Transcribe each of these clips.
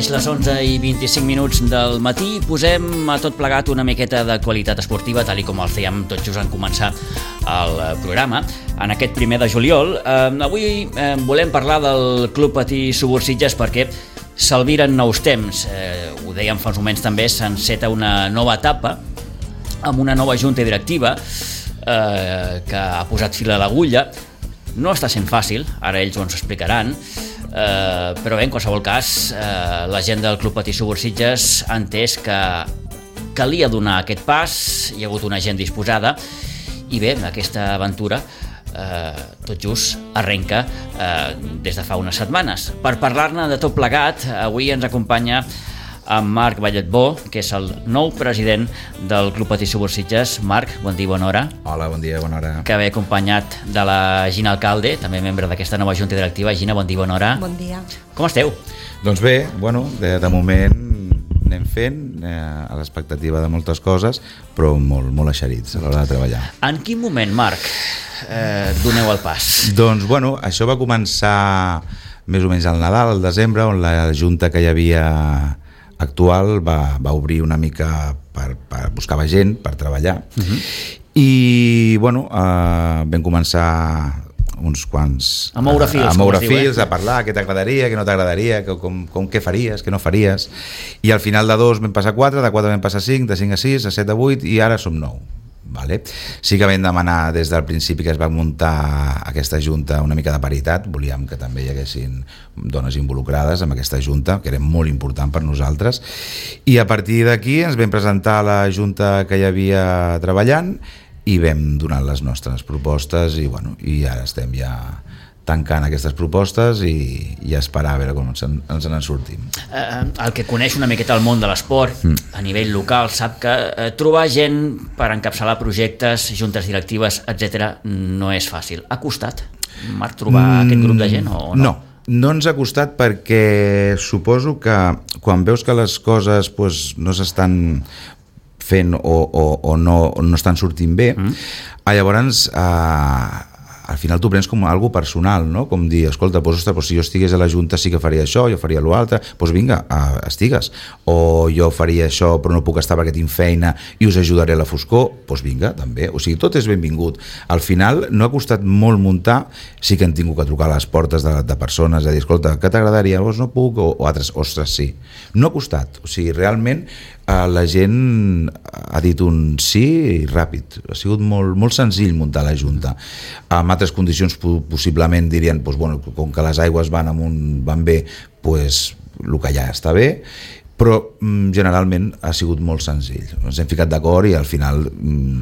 mateix, les 11:25 del matí, posem a tot plegat una miqueta d'actualitat esportiva, tal com el fèiem tot just en començar el programa. En aquest 1 de juliol, avui volem parlar del Club Patí Subursitges perquè s'albiren nous temps. Ho dèiem fa uns moments també, s'enceta una nova etapa amb una nova junta directiva que ha posat fil a l'agulla. No està sent fàcil, ara ells ho ens explicaran, però bé, en qualsevol cas, la gent del Club Patí Subursitges ha entès que calia donar aquest pas, hi ha hagut una gent disposada, i bé, aquesta aventura tot just arrenca des de fa unes setmanes. Per parlar-ne de tot plegat, avui ens acompanya en Marc Balletbó, que és el nou president del Club Patí Subursitges. Marc, bon dia i bona hora. Hola, bon dia i bona hora. Que ve acompanyat de la Gina Alcalde, també membre d'aquesta nova junta directiva. Gina, bon dia i bona hora. Bon dia. Com esteu? Doncs bé, bueno, de moment anem fent a l'expectativa de moltes coses, però molt eixerits a l'hora de treballar. En quin moment, Marc, doneu el pas? Doncs bueno, això va començar més o menys al Nadal, al desembre, on la junta que hi havia actual va obrir una mica per buscar gent per treballar. I bueno, vam començar uns quants a moure fils, a parlar què t'agradaria, què no t'agradaria, què faries, què no faries, i al final de 2 vam passar 4, de 4 vam passar 5, de 5 a 6, de 7 a 8 i ara som 9. Vale. Sí que vam demanar des del principi que es va muntar aquesta junta una mica de paritat, volíem que també hi haguessin dones involucrades en aquesta junta, que era molt important per nosaltres, i a partir d'aquí ens vam presentar a la junta que hi havia treballant i vam donar les nostres propostes i ara estem ja tancant aquestes propostes i esperar a veure com ens en sortim. El que coneix una miqueta el món de l'esport a nivell local sap que trobar gent per encapçalar projectes, juntes directives, etc., no és fàcil. Ha costat, Marc, trobar aquest grup de gent o no? No ens ha costat perquè suposo que quan veus que les coses no s'estan fent o no estan sortint bé, llavors al final t'ho prens com algo personal, no? Com dir, escolta, si jo estigués a la Junta sí que faria això, jo faria l'altre, doncs vinga, estigues. O jo faria això però no puc estar perquè tinc feina i us ajudaré a la foscor, doncs vinga, també. O sigui, tot és benvingut. Al final no ha costat molt muntar, sí que han tingut que trucar a les portes de persones a dir, escolta, què t'agradaria? Doncs no puc, o altres, ostres, sí. No ha costat, o sigui, realment la gent ha dit un sí ràpid, ha sigut molt senzill muntar la Junta. Amb altres condicions possiblement dirien com que les aigües van bé, el que ja està bé, però generalment ha sigut molt senzill. Ens hem ficat d'acord i al final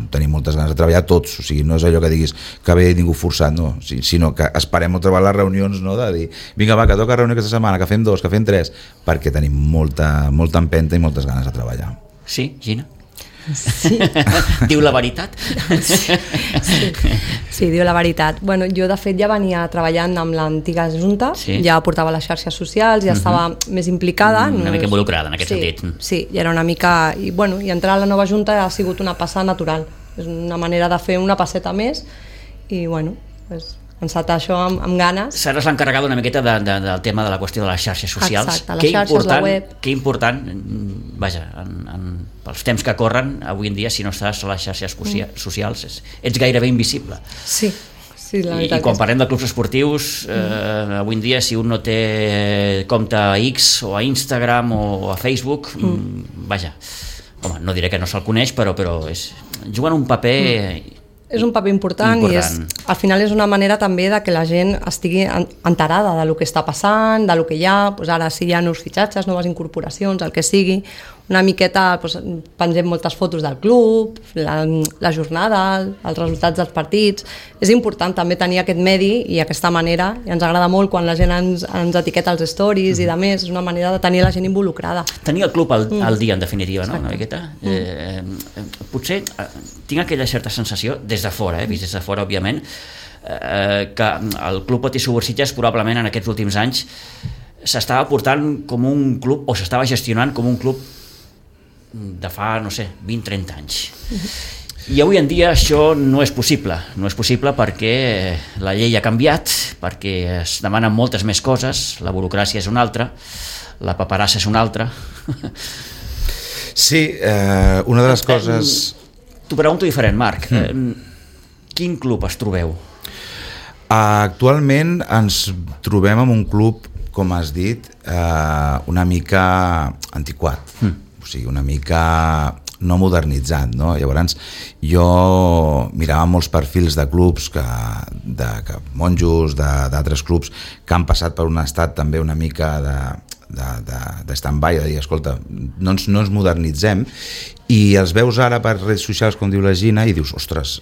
tenim moltes ganes de treballar tots, o sigui, no és allò que diguis que ve ningú forçat, no, sinó que esperem trobar les reunions, no, de dir, vinga va, que toca reunió aquesta setmana, que fem 2, que fem 3, perquè tenim molta empenta i moltes ganes de treballar. Sí, Gina? Sí. Diu la veritat? Sí, diu la veritat. Bueno, jo de fet ja venia treballant amb l'antiga Junta, ja portava les xarxes socials, ja estava més implicada. Una mica involucrada en aquest sentit. Sí, ja era una mica... I entrar a la nova Junta ha sigut una passada natural. És una manera de fer una passeta més i encetar això amb ganes. Seràs l'encarregada una miqueta del tema de la qüestió de les xarxes socials. Exacte, les xarxes, la web. Que important, vaja, pels temps que corren, avui en dia, si no estàs a les xarxes socials, ets gairebé invisible. Sí, la veritat. I quan parlem de clubs esportius, avui en dia, si un no té compte a X o a Instagram o a Facebook, vaja, home, no diré que no se'l coneix, però juguen un paper... És un paper important i al final és una manera també de que la gent estigui enterada de lo que està passant, de lo que hi ha, ara si hi ha nous fitxatges, noves incorporacions, el que sigui, una miqueta pengem moltes fotos del club, la jornada, els resultats dels partits. És important també tenir aquest medi i aquesta manera, i ens agrada molt quan la gent ens etiqueta els stories i de més, és una manera de tenir la gent involucrada. Tenir el club al dia, en definitiva, no? Una miqueta. Potser tinc aquella certa sensació, des de fora, vist des de fora, òbviament, que el Club Patí Subursitges probablement en aquests últims anys s'estava portant com un club, o s'estava gestionant com un club de fa, no sé, 20-30 anys. I avui en dia això no és possible. No és possible perquè la llei ha canviat, perquè es demanen moltes més coses, la burocràcia és una altra, la paperassa és una altra. Sí, una de les coses... T'ho pregunto diferent, Marc. Quin club es trobeu? Actualment ens trobem en un club, com has dit, una mica antiquat, o sigui, una mica no modernitzat, no? Llavors jo mirava molts perfils de clubs, de monjos, d'altres clubs que han passat per un estat també una mica de stand-by, de dir, escolta, no ens modernitzem, i els veus ara per redes socials, com diu la Gina, i dius, ostres,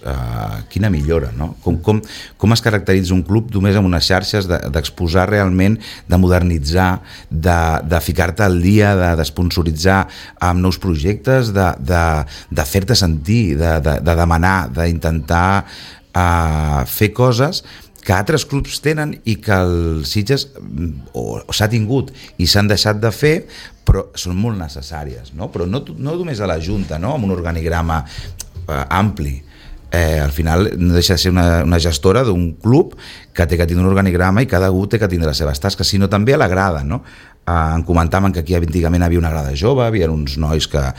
quina millora, no? Com es caracteritza un club només amb unes xarxes, d'exposar realment, de modernitzar, de ficar-te al dia, d'esponsoritzar amb nous projectes, de fer-te sentir, de demanar, d'intentar fer coses que altres clubs tenen i que els Sitges s'ha tingut i s'han deixat de fer, però són molt necessàries, no? Però no només a la Junta, no? Amb un organigrama ampli. Al final no deixa de ser una gestora d'un club que té que tindre un organigrama i cada un té que tindre les seves tasques, sinó també a la grada, no? Em comentaven que aquí antigament havia una grada jove, havia uns nois que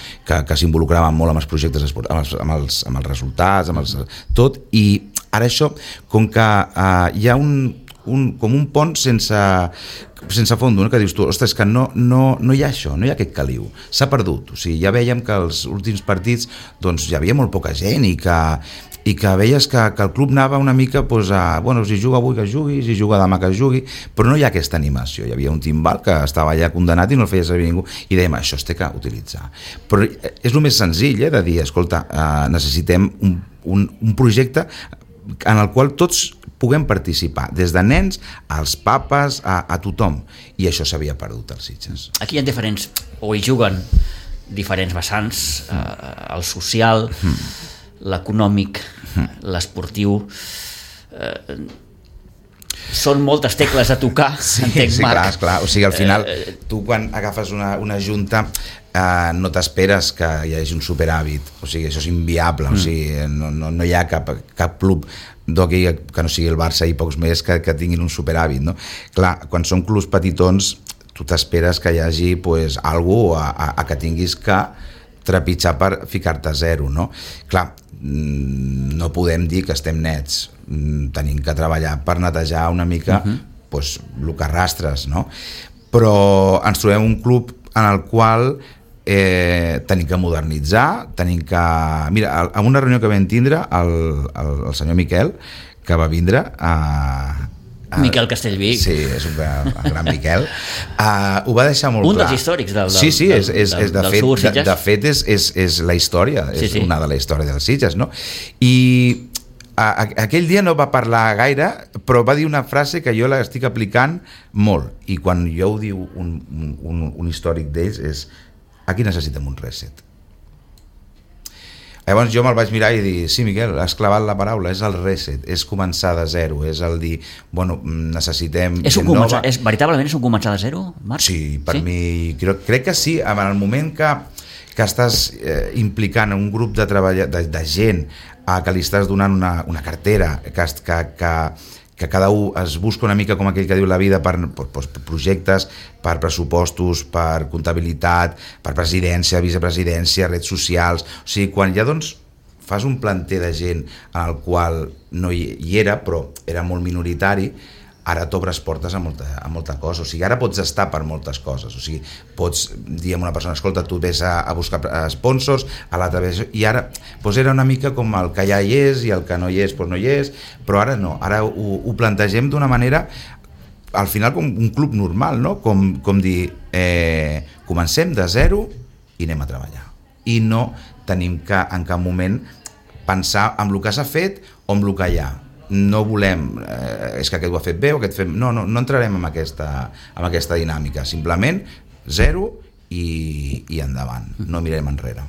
s'involucraven molt amb els projectes, amb els resultats, tot, i ara això, com que hi ha com un pont sense fons, no? Que dius tu, ostres, que no hi ha això, no hi ha aquest caliu, s'ha perdut. O sigui, ja vèiem que els últims partits doncs, hi havia molt poca gent i que veies que el club anava una mica doncs, bueno, si juga avui que jugui, si juga demà que jugui, però no hi ha aquesta animació. Hi havia un timbal que estava allà condenat i no el feia servir ningú, i dèiem, això es té que utilitzar. Però és el més senzill, de dir, escolta, necessitem un projecte en el qual tots puguem participar, des de nens als papes, a tothom, i això s'havia perdut als Sitges. Aquí hi ha diferents, o hi juguen diferents vessants, el social, l'econòmic, l'esportiu, són moltes tecles a tocar, entenc, Marc. Sí, clar, o sigui, al final tu quan agafes una junta no t'esperes que hi hagi un superàvit, o sigui, això és inviable, o sigui, no hi ha cap club d'hoquei que no sigui el Barça i pocs més que tinguin un superàvit, no? Clar, quan són clubs petitons tu t'esperes que hi hagi pues, alguna cosa que tinguis que trepitjar per ficar-te a zero, no? Clar, no podem dir que estem nets, tenim que treballar per netejar una mica pues, el que arrastres, no? Però ens trobem un club en el qual tenim que modernitzar, tenim que... Mira, en una reunió que vam tindre el senyor Miquel, que va vindre Miquel Castellví. Sí, és un gran Miquel. Ho va deixar molt clar. Un dels històrics del Sí, de fet és la història, és una de la història dels Sitges, no? I aquell dia no va parlar gaire, però va dir una frase que jo l'estic aplicant molt, i quan jo ho diu un històric d'ells és: aquí necessitem un reset. Llavors jo me'l vaig mirar i dir, sí, Miquel, has clavat la paraula, és el reset, és començar de zero, és el dir, bueno, necessitem gent nova. Veritablement és un començar de zero, Marc? Sí, per mi, crec que sí, en el moment que estàs implicant un grup de treball, de gent, que li estàs donant una cartera, que cada un es busca una mica, com aquell que diu la vida, per projectes, per pressupostos, per comptabilitat, per presidència, vicepresidència, redes socials. O sigui, quan ja doncs fas un planter de gent en el qual no hi era, però era molt minoritari, ara t'obres portes a molta cosa. O sigui, ara pots estar per moltes coses. O sigui, pots dir a una persona, escolta, tu ves a buscar sponsors, a l'altra vez... I ara doncs era una mica com el que ja hi és i el que no hi és, doncs no hi és, però ara no. Ara ho plantegem d'una manera, al final, com un club normal, no? Com dir, comencem de zero i anem a treballar. I no tenim que, en cap moment, pensar en el que s'ha fet o en el que hi ha. No volem, és que aquest ho ha fet bé o aquest fem... No entrarem en aquesta dinàmica, simplement zero i endavant, no mirem enrere.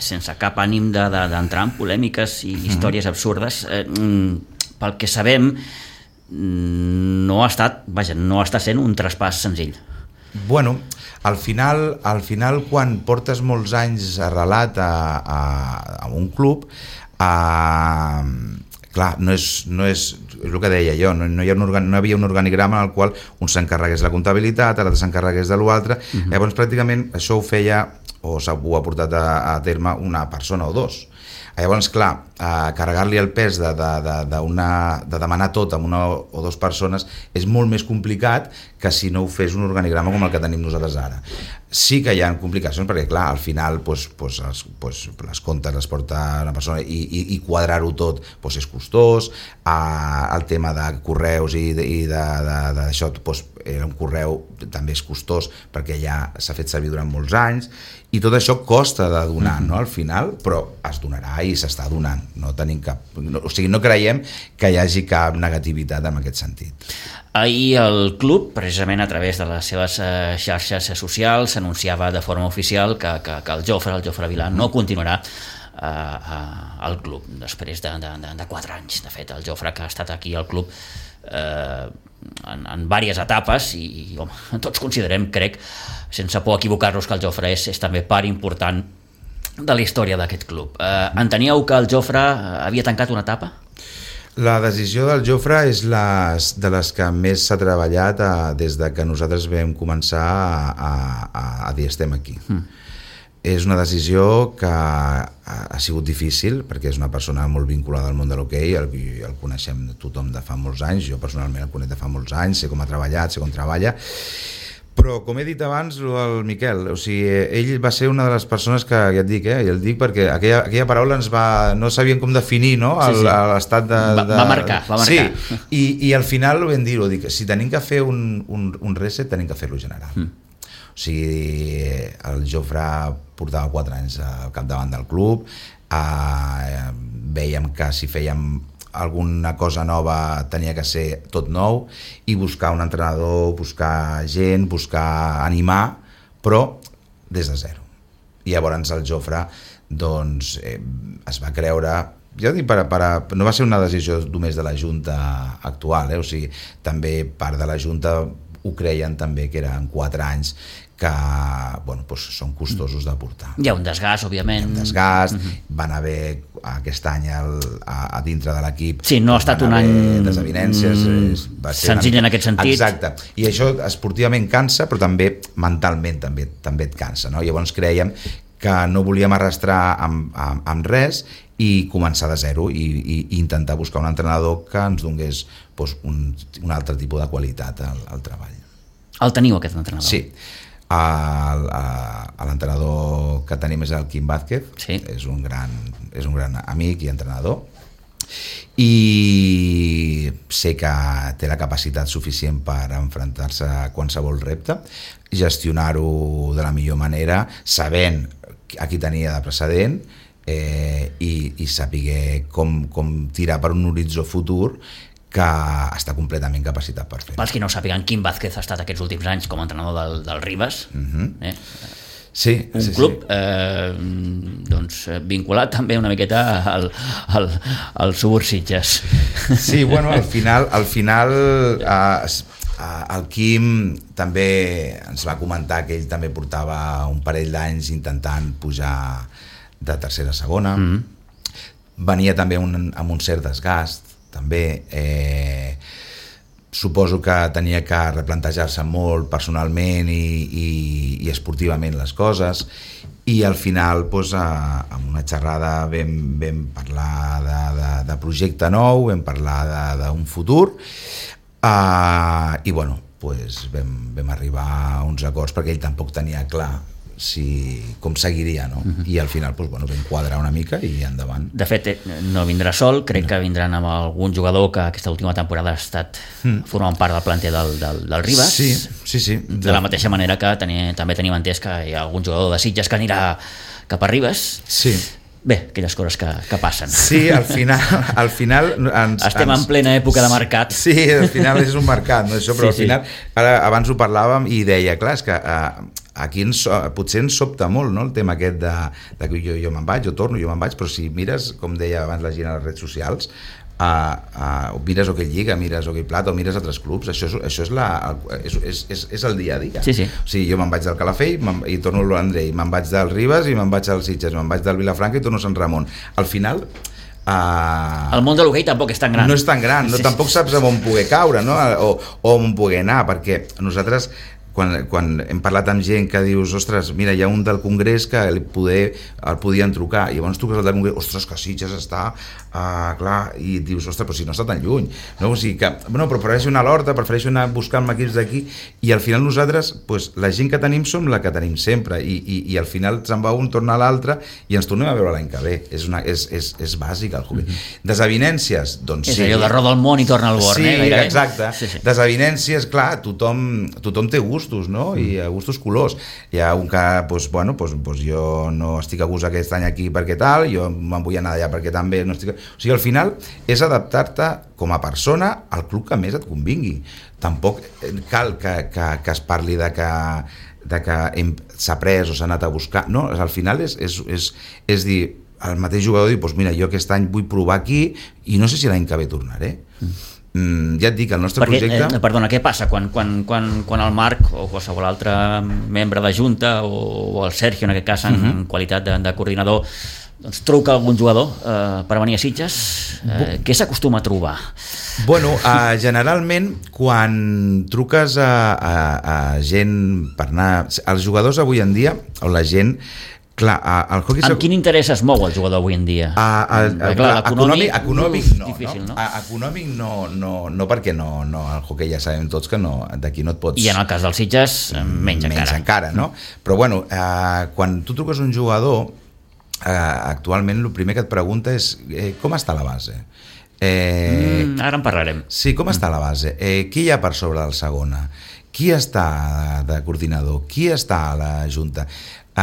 Sense cap ànim d'entrar en polèmiques i històries absurdes, pel que sabem no està sent un traspàs senzill. Bueno, Al final quan portes molts anys arrelat a un club, clar, no és el que deia jo, no havia un organigrama en el qual un s'encarregués la comptabilitat, l'altre s'encarregués de l'altre. Llavors pràcticament això ho feia, o ho ha portat a terme una persona o dos. Llavors, clar, carregar-li el pes de demanar tot amb una o dues persones és molt més complicat que si no ho fes un organigrama com el que tenim nosaltres ara. Sí que hi ha complicacions perquè, clar, al final les comptes les porta una persona i quadrar-ho tot és costós. El tema de correus i d'això, un correu també és costós perquè ja s'ha fet servir durant molts anys i tot això costa de donar, no, al final, però es donarà i s'està donant. No tenim no creiem que hi hagi cap negativitat en aquest sentit. Ahir el club, precisament a través de les seves xarxes socials, anunciava de forma oficial que el Jofre Vilà no continuarà al club després de 4 anys. De fet, el Jofre, que ha estat aquí al club en diverses etapes i home, tots considerem, crec, sense por equivocar-nos, que el Jofre és també part important de la història d'aquest club. Enteníeu que el Jofre havia tancat una etapa? La decisió del Jofre és de les que més s'ha treballat des de que nosaltres vam començar a dir estem aquí. És una decisió que ha sigut difícil perquè és una persona molt vinculada al món de l'hoquei, el coneixem tothom de fa molts anys, jo personalment el conec de fa molts anys, sé com ha treballat, sé com treballa, però com he dit abans, el Miquel, o sigui, ell va ser una de les persones que, ja et dic, i el dic perquè aquella paraula no sabíem com definir, no? L'estat de... Va marcar. Sí, i al final ho vam dir, si tenim que fer un reset, tenim que fer-lo general. O sigui, el Jofre portava 4 anys al capdavant del club, vèiem que si fèiem alguna cosa nova tenia que ser tot nou i buscar un entrenador, buscar gent, buscar animar, però des de zero. I llavors el Jofre doncs, es va creure, ja dic, no va ser una decisió només de la Junta actual, o sigui, també part de la Junta ho creien també que eren 4 anys que són costosos de portar. Hi ha un desgast, òbviament. Hi ha un desgast, van haver aquest any a dintre de l'equip... Sí, no ha estat un any desavinències, senzill en aquest sentit. Exacte, i això esportivament cansa, però també mentalment també et cansa, no? Llavors creiem que no volíem arrastrar amb res i començar de zero i intentar buscar un entrenador que ens donés un altre tipus de qualitat al treball. El teniu, aquest entrenador? Sí. L'entrenador que tenim és el Quim Vázquez, sí. És un gran amic i entrenador i sé que té la capacitat suficient per enfrontar-se a qualsevol repte, gestionar-ho de la millor manera, sabent a qui tenia de precedent i saber com tirar per un horitzó futur que està completament capacitat per fer. Pels qui no sàpiguen, Quim Vázquez ha estat aquests últims anys com a entrenador del Ribes. Sí, un club vinculat també una miqueta al Subur Sitges. Sí, bueno, al final el Quim també ens va comentar que ell també portava un parell d'anys intentant pujar de tercera a segona. Venia també amb un cert desgast també. Suposo que tenia que replantejar-se molt personalment i esportivament les coses i al final amb una xerrada vam parlar de projecte nou, vam parlar d'un futur i vam arribar a uns acords perquè ell tampoc tenia clar com seguiria, no? I al final vam quadrar una mica i endavant. De fet, no vindrà sol, crec que vindran amb algun jugador que aquesta última temporada ha estat formant part del planter del Ribes. Sí. De la mateixa manera que també tenim entès que hi ha algun jugador de Sitges que anirà cap a Ribes. Sí. Bé, aquelles coses que passen. Sí, al final estem en plena època de mercat. Sí, al final és un mercat, no? Això, però al final, abans ho parlàvem i deia, clar, és que aquí potser ens sobta molt, no? El tema aquest de que jo me'n vaig, jo torno, jo me'n vaig, però si mires, com deia abans la gent a les redes socials, mires Hockey Lliga, mires Hockey Plata o mires altres clubs, això és el dia a dia. Sí. O sigui, jo me'n vaig del Calafell i torno a l'Andrei, me'n vaig del Ribes i me'n vaig al Sitges, me'n vaig del Vilafranca i torno a Sant Ramon. Al final el món de l'hoquei tampoc és tan gran. No és tan gran, tampoc saps on poder caure, no? o on poder anar, perquè nosaltres quan hem parlat amb gent que dius, ostres, mira, hi ha un del Congrés que el podien trucar, i llavors truques al del Congrés, ostres, que Sitges està clar, i dius, ostres, però si no està tan lluny, no? O sigui que, bueno, però prefereixo anar a l'Horta, prefereixo anar buscant equips d'aquí, i al final nosaltres, pues, la gent que tenim som la que tenim sempre, i al final se'n va un, torna a l'altre, i ens tornem a veure l'any que ve. És bàsic el hockey. Desavinències, doncs sí. És allò de roda el món i torna al Born, sí, exacte. Sí. Desavinències, clar, tothom té gustos, no? I a gustos colors. Hi ha un que, jo no estic a gust aquest any aquí perquè tal, jo me'n vull anar allà perquè també no estic... O sigui, al final és adaptar-te com a persona al club que més et convingui. Tampoc cal que es parli de que s'ha pres o s'ha anat a buscar, no? Al final és dir, el mateix jugador diu, doncs mira, jo aquest any vull provar aquí i no sé si l'any que ve tornaré. Ja et dic, el nostre projecte... Perdona, què passa quan el Marc o qualsevol altre membre de Junta o el Sergio, en aquest cas, en qualitat de coordinador, doncs truca algun jugador per venir a Sitges? Què s'acostuma a trobar? Bueno, generalment quan truques a gent per anar... Els jugadors avui en dia, o la gent... Clar, el hockey... Amb quin interès es mou el jugador avui en dia? Econòmic no. Difícil, no? Econòmic no, perquè no, el hockey ja sabem tots que no, d'aquí no et pots... I en el cas dels Sitges, menys encara, no? Però bueno, quan tu truques un jugador, actualment el primer que et pregunta és com està la base? Ara en parlarem. Sí, com està la base? Qui hi ha per sobre del segona? Qui està de coordinador? Qui està a la junta? I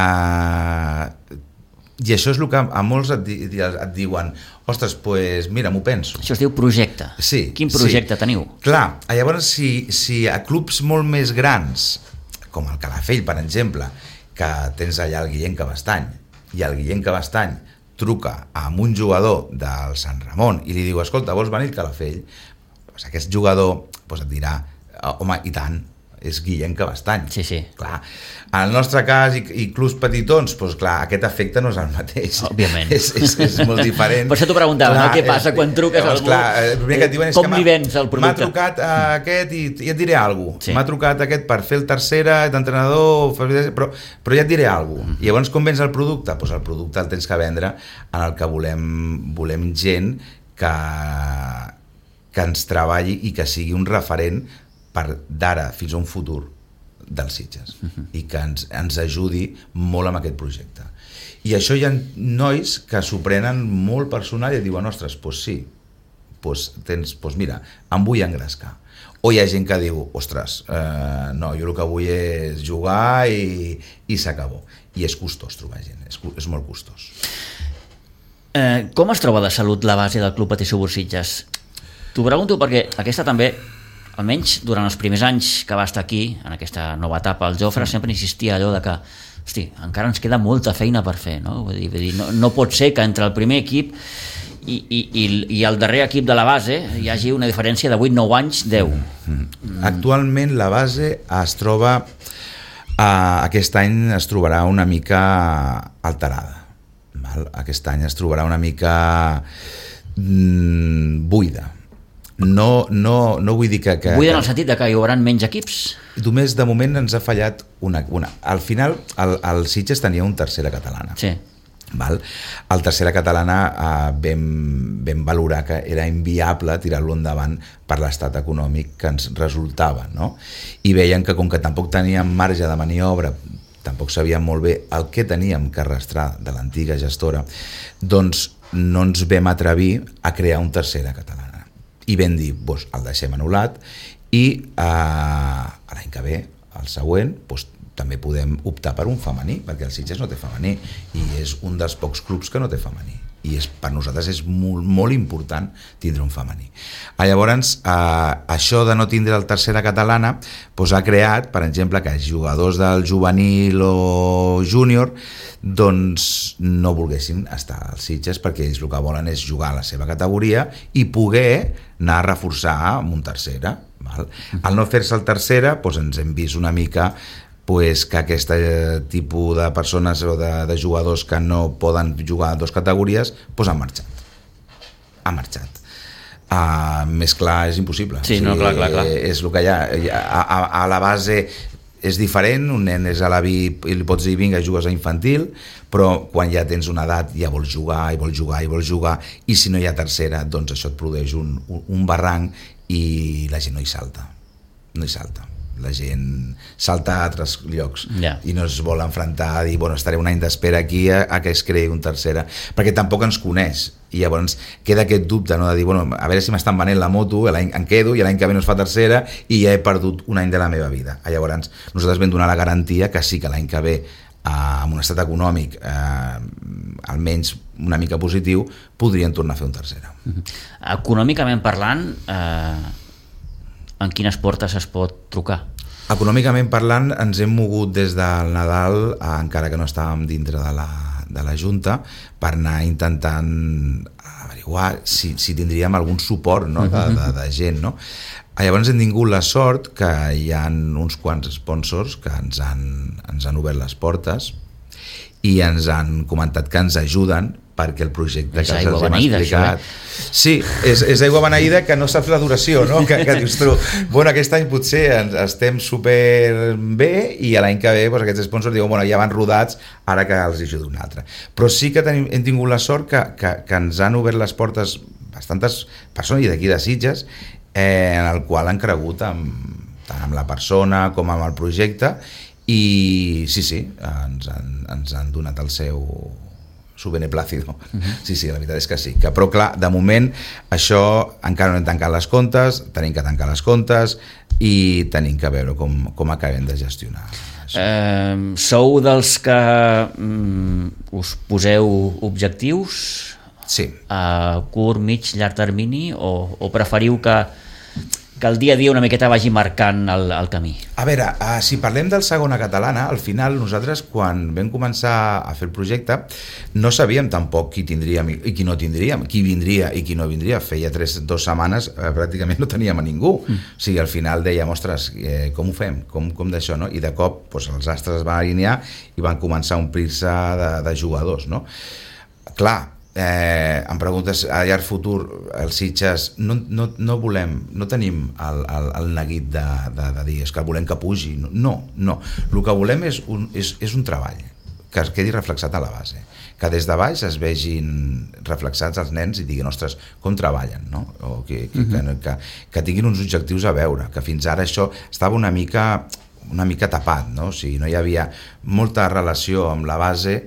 això és el que a molts et diuen, ostres, pues mira, m'ho penso. Això es diu projecte. Sí. Quin projecte teniu? Clar, llavors si a clubs molt més grans, com el Calafell, per exemple, que tens allà el Guillem Cabestany, i el Guillem Cabestany truca amb un jugador del Sant Ramon i li diu, escolta, vols venir al Calafell? Pues aquest jugador et dirà, home, i tant, és Guillem Cabestany. Sí. Clar. En el nostre cas, i clubs petitons, doncs clar, aquest efecte no és el mateix. Òbviament. És molt diferent. Per això t'ho preguntava, clar, no? Què passa quan truques a algú? Clar, el primer que et diuen és com li vens el producte? M'ha trucat aquest i et diré alguna cosa. Sí. M'ha trucat aquest per fer el tercera d'entrenador, però ja et diré alguna cosa. I llavors com vens el producte? Doncs el producte el tens que vendre en el que volem gent que ens treballi i que sigui un referent d'ara fins a un futur dels Sitges i que ens ajudi molt amb aquest projecte. I això hi ha nois que s'ho prenen molt personal i diuen, ostres, doncs sí, mira, em vull engrescar. O hi ha gent que diu, ostres, no, jo el que vull és jugar i s'acabó. I és costós trobar gent, és molt costós. Com es troba de salut la base del Club Patí Subur Sitges? T'ho pregunto perquè aquesta també, almenys durant els primers anys que va estar aquí, en aquesta nova etapa, el Jofre sempre insistia allò de que, hosti, encara ens queda molta feina per fer, no? Vull dir, no pot ser que entre el primer equip i el darrer equip de la base hi hagi una diferència de 8-9 anys, 10. Actualment la base es troba, aquest any es trobarà una mica alterada. Aquest any es trobarà una mica buida. No vull dir que... Vull en el sentit que hi haurà menys equips? Només de moment ens ha fallat una. Al final el Sitges tenia un tercera catalana. Sí. Val? El tercera catalana vam valorar que era inviable tirar-lo endavant per l'estat econòmic que ens resultava, no? I veien que com que tampoc teníem marge de maniobra, tampoc sabíem molt bé el que teníem que arrastrar de l'antiga gestora, doncs no ens vam atrevir a crear un tercera catalana. I vam dir, el deixem anul·lat i l'any que ve, el següent, també podem optar per un femení, perquè el Sitges no té femení i és un dels pocs clubs que no té femení, i per nosaltres és molt, molt important tindre un femení. Llavors, això de no tindre el tercera catalana ha creat, per exemple, que els jugadors del juvenil o júnior doncs no volguessin estar als Sitges, perquè ells el que volen és jugar a la seva categoria i poder anar a reforçar amb un tercera. Al no fer-se el tercera, ens hem vist una mica que aquest tipus de persones o de jugadors que no poden jugar a dues categories han marxat. Més clar és impossible. Sí, no, clar. És el que hi ha. A la base és diferent, un nen és a la VIP i li pots dir vinga, jugues a infantil, però quan ja tens una edat ja vols jugar i si no hi ha tercera, doncs això et produeix un barranc i la gent no hi salta. La gent salta a altres llocs i no es vol enfrontar a dir, estaré un any d'espera aquí a que es creï un tercera, perquè tampoc ens coneix, i llavors queda aquest dubte, no? De dir, a veure si m'estan venent la moto, em quedo i l'any que ve no es fa tercera i ja he perdut un any de la meva vida. Llavors nosaltres vam donar la garantia que sí que l'any que ve, amb un estat econòmic almenys una mica positiu, podrien tornar a fer un tercera. Econòmicament parlant, en quines portes es pot trucar? Econòmicament parlant, ens hem mogut des del Nadal, encara que no estàvem dintre de la Junta, per anar intentant averiguar si tindríem algun suport, no? de gent. No? Llavors hem tingut la sort que hi ha uns quants sponsors que ens han obert les portes i ens han comentat que ens ajuden perquè el projecte que els hem explicat... Sí, és aigua beneïda que no saps la duració, no? Que dius tu, aquest any potser estem super bé i l'any que ve aquests sponsors diuen, ja van rodats, ara que els ajuda un altre. Però sí que hem tingut la sort que ens han obert les portes bastantes persones, i d'aquí de Sitges, en el qual han cregut tant amb la persona com amb el projecte, i sí, ens han donat el seu beneplácido. Sí, la veritat és que sí. Però clar, de moment això encara no hem tancat les comptes, tenim que tancar les comptes i tenim que veure com acabem de gestionar. Sou dels que us poseu objectius? Sí. A curt, mig, llarg termini, o preferiu que el dia a dia una miqueta vagi marcant el camí? A veure, si parlem del segona catalana, al final nosaltres quan vam començar a fer el projecte no sabíem tampoc qui tindríem i qui no tindríem, qui vindria i qui no vindria. Feia 2 setmanes pràcticament no teníem a ningú. O sigui, al final dèiem, ostres, com ho fem? Com d'això, no? I de cop els astres es van alinear i van començar a omplir-se de jugadors, no? Clar, em preguntes a llarg futur, els Sitges no volem, no tenim el neguit de dir és que volem que pugi, no, el que volem és un treball que es quedi reflexat a la base, que des de baix es vegin reflexats els nens i diguin, ostres, com treballen, no? O que tinguin uns objectius a veure, que fins ara això estava una mica tapat, no? O sigui, no hi havia molta relació amb la base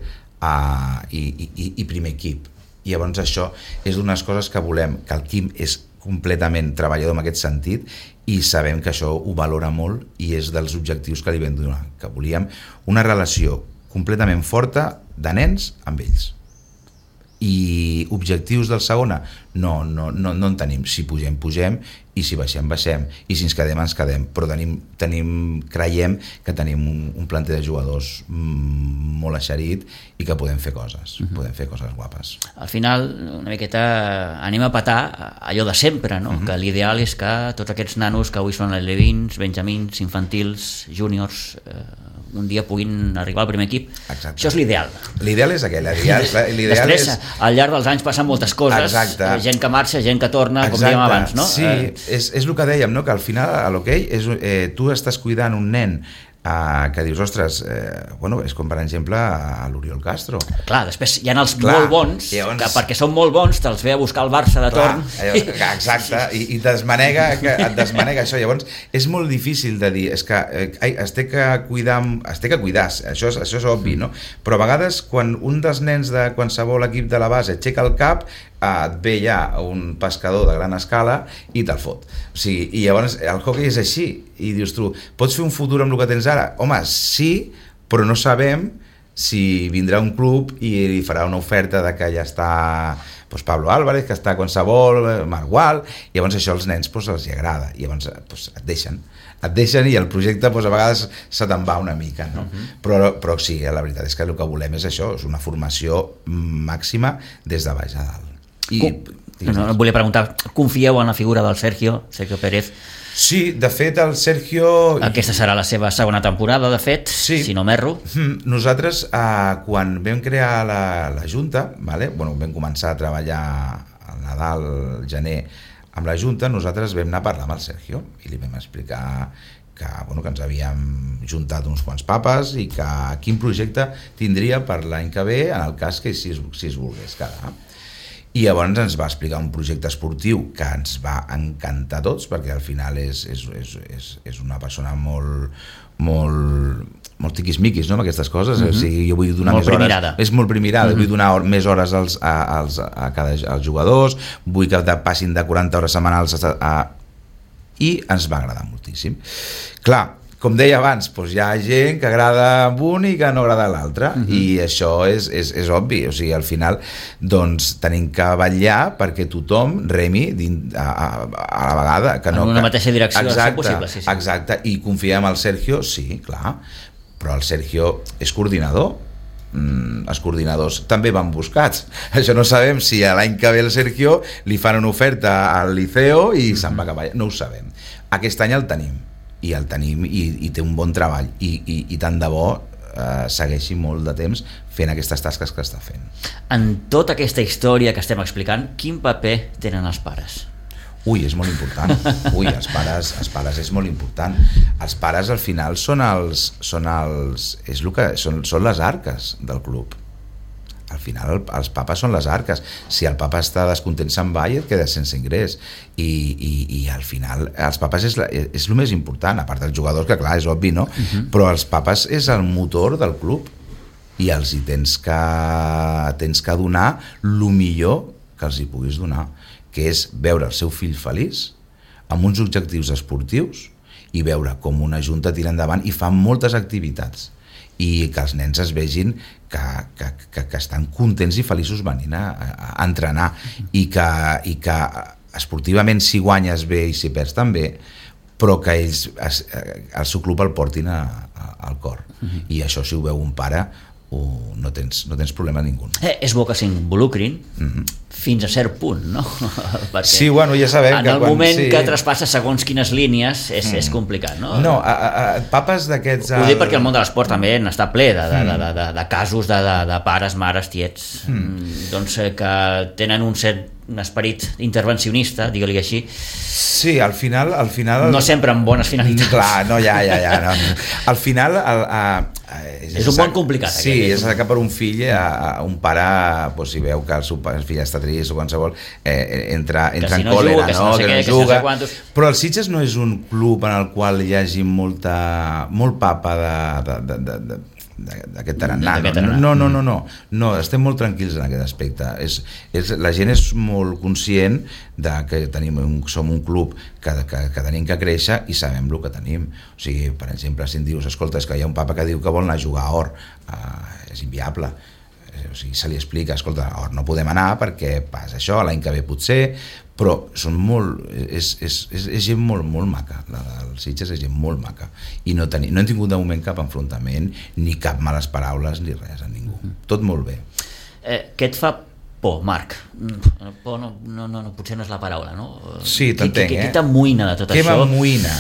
i primer equip. I llavors això és d'unes coses que volem, que el Quim és completament treballador en aquest sentit i sabem que això ho valora molt i és dels objectius que li vam donar, que volíem una relació completament forta de nens amb ells. I objectius del segona? No en tenim. Si pugem, i si baixem, i si ens quedem, però creiem que tenim un planter de jugadors molt eixerit i que podem fer coses, guapes. Al final, una miqueta anem a petar allò de sempre, no? Que l'ideal és que tots aquests nanos que avui són alevins, benjamins, infantils, júniors, un dia puguin arribar al primer equip. Exacte. Això és l'ideal. L'ideal és aquell. Després, al llarg dels anys passen moltes coses. Exacte. Gent que marxa, gent que torna, com dèiem abans, no? Sí, és el que dèiem, no? Que al final a l'hoquei tu estàs cuidant un nen que dius, ostres, és com per exemple a l'Oriol Castro. Clar, després hi ha els molt bons, llavors, que perquè són molt bons te'ls ve a buscar el Barça de torn. Exacte, i et desmanega això. Llavors és molt difícil de dir, és que es té que cuidar, això és obvi, no? Però a vegades quan un dels nens de qualsevol equip de la base aixeca el cap, et ve ja un pescador de gran escala i te'l fot. O sigui, i llavors el hockey és així, i dius tu, pots fer un futur amb el que tens ara? Home, sí, però no sabem si vindrà un club i li farà una oferta de que ja està doncs Pablo Álvarez, que està qualsevol, Margual, i llavors això als nens doncs, els hi agrada, i llavors doncs, et deixen i el projecte doncs, a vegades se te'n va una mica, no? Però sí, la veritat és que el que volem és això, és una formació màxima des de baix a dalt. No, volia preguntar, confieu en la figura del Sergio Pérez? Sí, de fet el Sergio... Aquesta serà la seva segona temporada, de fet, sí. Si no m'erro. Nosaltres, quan vam crear la Junta, vam començar a treballar al Nadal, al gener, amb la Junta, nosaltres vam anar a parlar amb el Sergio i li vam explicar que ens havíem juntat uns quants papes i que quin projecte tindria per l'any que ve en el cas que si es volgués quedar. I llavors ens va explicar un projecte esportiu que ens va encantar a tots, perquè al final és una persona molt tiquismiquis, no?, amb aquestes coses. O sigui, jo vull donar molt més hores, és molt primirada, vull donar més hores als jugadors, vull que passin de 40 hores setmanals i ens va agradar moltíssim. Clar, com deia abans, doncs hi ha gent que agrada un i que no agrada l'altre, i això és obvi. O sigui, al final doncs tenim que vetllar perquè tothom remi a la vegada, que no, en una mateixa direcció. Exacte, possible, sí. Exacte, i confiem en el Sergio, sí, clar, però el Sergio és coordinador. Els coordinadors també van buscats. Això no sabem si l'any que ve el Sergio li fan una oferta al Liceo i se'n va cap allà, no ho sabem. Aquest any el tenim i té un bon treball i tant de bo segueixi molt de temps fent aquestes tasques que està fent. En tota aquesta història que estem explicant, quin paper tenen els pares? És molt important. Els pares és molt important. Els pares al final són les arques del club. Al final els papes són les arques. Si el papa està descontent se'n va i et quedes sense ingrés, i al final els papes és el més important, a part dels jugadors, que clar, és obvi, no? Però els papes és el motor del club i els hi tens que donar el millor que els hi puguis donar, que és veure el seu fill feliç amb uns objectius esportius i veure com una junta tira endavant i fa moltes activitats i que els nens es vegin que estan contents i feliços venint a entrenar i que esportivament si guanyes bé i si perds també, però que ells el seu club el portin al cor. I això, si ho veu un pare, no tens problema ningú. És bo que s'involucrin fins a cert punt, no? Perquè sí, ja sabem en el moment que traspassa segons quines línies és complicat, no? No, papes d'aquests... Ho dic perquè el món de l'esport també n'està ple de casos de pares, mares, tiets, doncs que tenen un esperit intervencionista, digue-li així. Sí, al final... No sempre amb bones finalitats. Clar, no, ja. No. Al final... és un món complicat. Sí, és que per un fill, un pare, si veu que el seu fill està trist o qualsevol, entra en còlera, que no juga. Però el Sitges no és un club en el qual hi hagi molt papa d'aquest tarannà. No, estem molt tranquils en aquest aspecte. La gent és molt conscient que som un club que tenim que créixer i sabem el que tenim. O sigui, per exemple, si em dius, escolta, és que hi ha un papa que diu que vol anar a jugar a Or, és inviable. O sigui, se li explica, escolta, a Or no podem anar perquè passa això, l'any que ve potser, però és gent molt maca. El Sitges és gent molt maca i no hem tingut de moment cap enfrontament ni cap males paraules ni res a ningú, tot molt bé. Què et fa por, Marc? Por no, potser no és la paraula, no? Sí, t'entenc, Què t'amoïna de tot això? Què m'amoïna?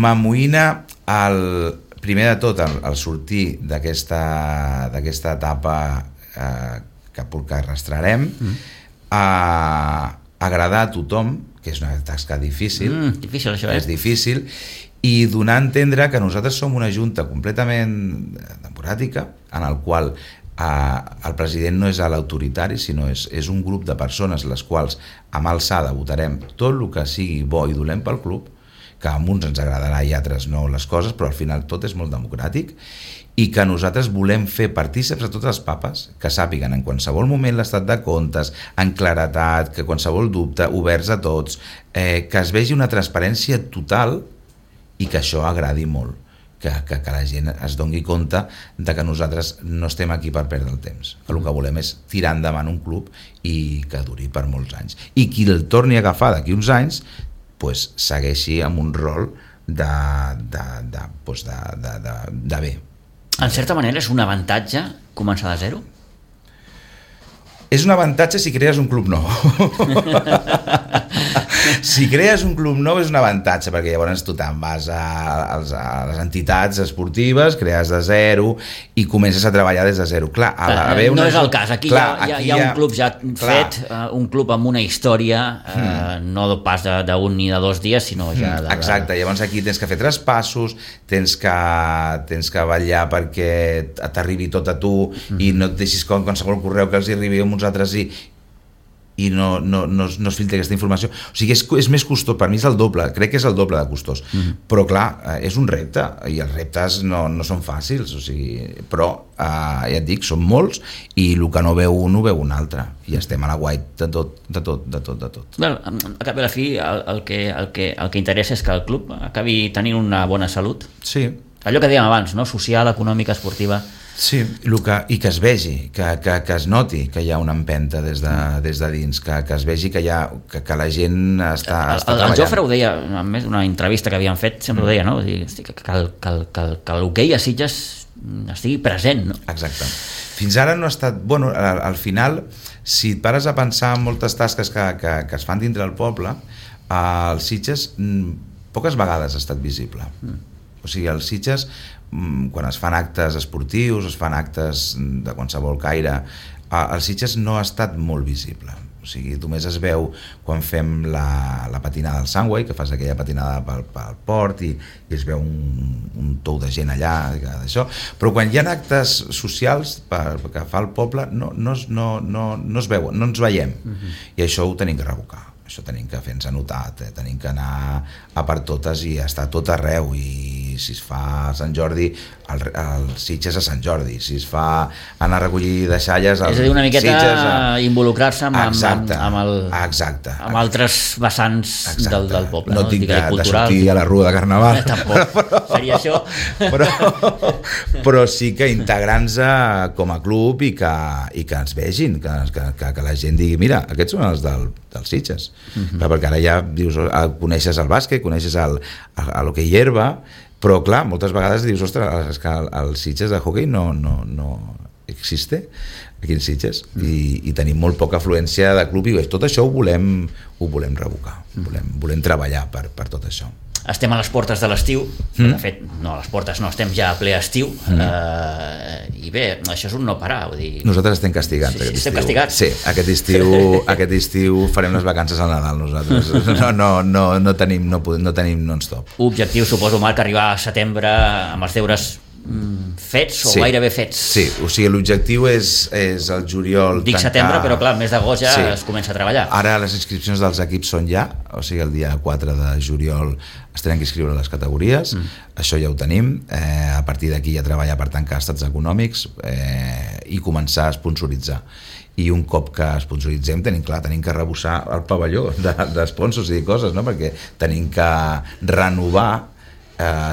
M'amoïna primer de tot el sortir d'aquesta etapa que arrastrarem, agradar a tothom, que és una tasca difícil. Difícil, això, és difícil, i donar a entendre que nosaltres som una junta completament democràtica, en el qual el president no és l'autoritari, sinó és un grup de persones les quals amb alçada votarem tot el que sigui bo i dolent pel club, que a uns ens agradarà i a altres no les coses, però al final tot és molt democràtic, i que nosaltres volem fer partíceps a totes les papes, que sàpiguen en qualsevol moment l'estat de comptes, en claretat, que qualsevol dubte, oberts a tots, que es vegi una transparència total i que això agradi molt, que la gent es doni compte de que nosaltres no estem aquí per perdre el temps, que el que volem és tirar endavant un club i que duri per molts anys, i qui el torni a agafar d'aquí uns anys pues, segueixi amb un rol de bé. En certa manera és un avantatge començar de zero? És un avantatge si crees un club nou. Si crees un club nou és un avantatge, perquè llavors tu te'n vas a les entitats esportives, crees de zero i comences a treballar des de zero. Clar, no és el cas, aquí hi ha un club ja fet, un club amb una història, no pas d'un ni de 2 dies, sinó ja de... Exacte, llavors aquí tens que fer traspassos, tens que vetllar perquè t'arribi tot a tu i no et deixis com qualsevol correu que els hi arribi a uns altres i no es filtra aquesta informació. O sigui, és més costós, per mi és el doble, crec que és el doble de costós, però clar, és un repte i els reptes no són fàcils, o sigui, però ja et dic, són molts i el que no veu un ho veu un altre i estem a la guait de tot. Bé, a cap i a la fi el que interessa és que el club acabi tenint una bona salut. Sí. Allò que dèiem abans, no? Social, econòmica, esportiva. Sí, i que es vegi, que es noti que hi ha una empenta des de dins, que es vegi que la gent està treballant. El Jofre ho deia, a més d'una entrevista que havíem fet, sempre ho deia, no? Que l'hoquei a Sitges estigui present, no? Exacte. Fins ara no ha estat... Bueno, al final, si et pares a pensar en moltes tasques que es fan dintre del poble, el Sitges poques vegades ha estat visible. O sigui, el Sitges, quan es fan actes esportius, es fan actes de qualsevol caire, el Sitges no ha estat molt visible. O sigui, només es veu quan fem la patinada al Sunway, que fas aquella patinada pel port i es veu un tou de gent allà, d'això. Però quan hi ha actes socials que fa el poble no es veuen, no ens veiem. I això ho tenim que revocar. Això tenim que fer-nos anotar, tenim que anar a per totes i estar tot arreu, i si es fa a Sant Jordi, el Sitges a Sant Jordi, si es fa anar a recollir deixalles és a dir, una miqueta involucrar-se amb altres vessants del poble. No tinc de sortir a la rua de Carnaval. Tampoc, seria això. Però sí que integrant-nos com a club i que ens vegin, que la gent digui, mira, aquests són els del Sitges. Perquè ara ja dius, coneixes el bàsquet, coneixes l'hoquei herba, però clar, moltes vegades dius, ostres, és que el Sitges de hoquei no existe aquí en Sitges, i tenim molt poca afluència de club, i tot això ho volem revocar, volem treballar per tot això. Estem a les portes de l'estiu, de fet, no a les portes, no, estem ja a ple estiu, i bé, això és un no parar, vull dir... Nosaltres estem castigats. Sí, estem castigats. Sí, aquest estiu farem les vacances al Nadal, nosaltres. No tenim non-stop. Objectiu, suposo, Marc, arribar a setembre amb els deures fets o gairebé fets. Sí, o sigui, l'objectiu és el juliol. Dic setembre, però clar, el mes d'agost ja es comença a treballar. Ara les inscripcions dels equips són ja, o sigui, el dia 4 de juliol es tenen que inscriure les categories, això ja ho tenim, a partir d'aquí ja treballar per tancar estats econòmics i començar a sponsoritzar. I un cop que sponsoritzem tenim que rebossar el pavelló d'esponsors i coses, no? Perquè tenim que renovar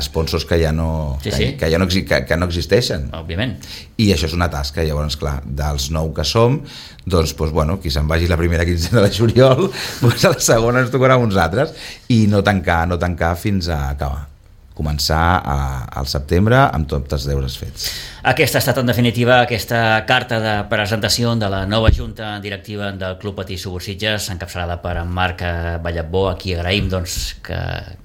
sponsors que ja no existeixen, òbviament, i això és una tasca. Llavors, clar, dels 9 que som, doncs, qui se'n vagi la primera quinzena de juliol, doncs a la segona ens tocarà uns altres, i no tancar fins a acabar, començar al setembre amb tots els deures fets. Aquesta ha estat, en definitiva, aquesta carta de presentació de la nova junta directiva del Club Patí Subursitges, encapçalada per en Marc Vallabó, a qui agraïm que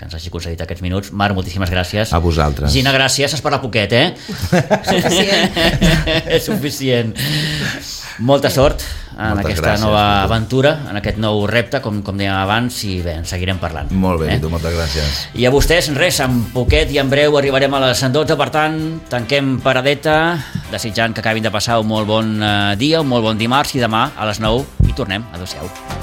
ens hagi concedit aquests minuts. Marc, moltíssimes gràcies. A vosaltres. Gina, gràcies. Has parlat poquet, És suficient. Molta sort en aquesta nova aventura, en aquest nou repte, com dèiem abans, i bé, en seguirem parlant. Molt bé, tu, moltes gràcies. I a vostès, res, en poquet i en breu arribarem a les 12, per tant, tanquem paradeta, desitjant que acabin de passar un molt bon dia, un molt bon dimarts, i demà a les 9 hi tornem. Adéu-siau.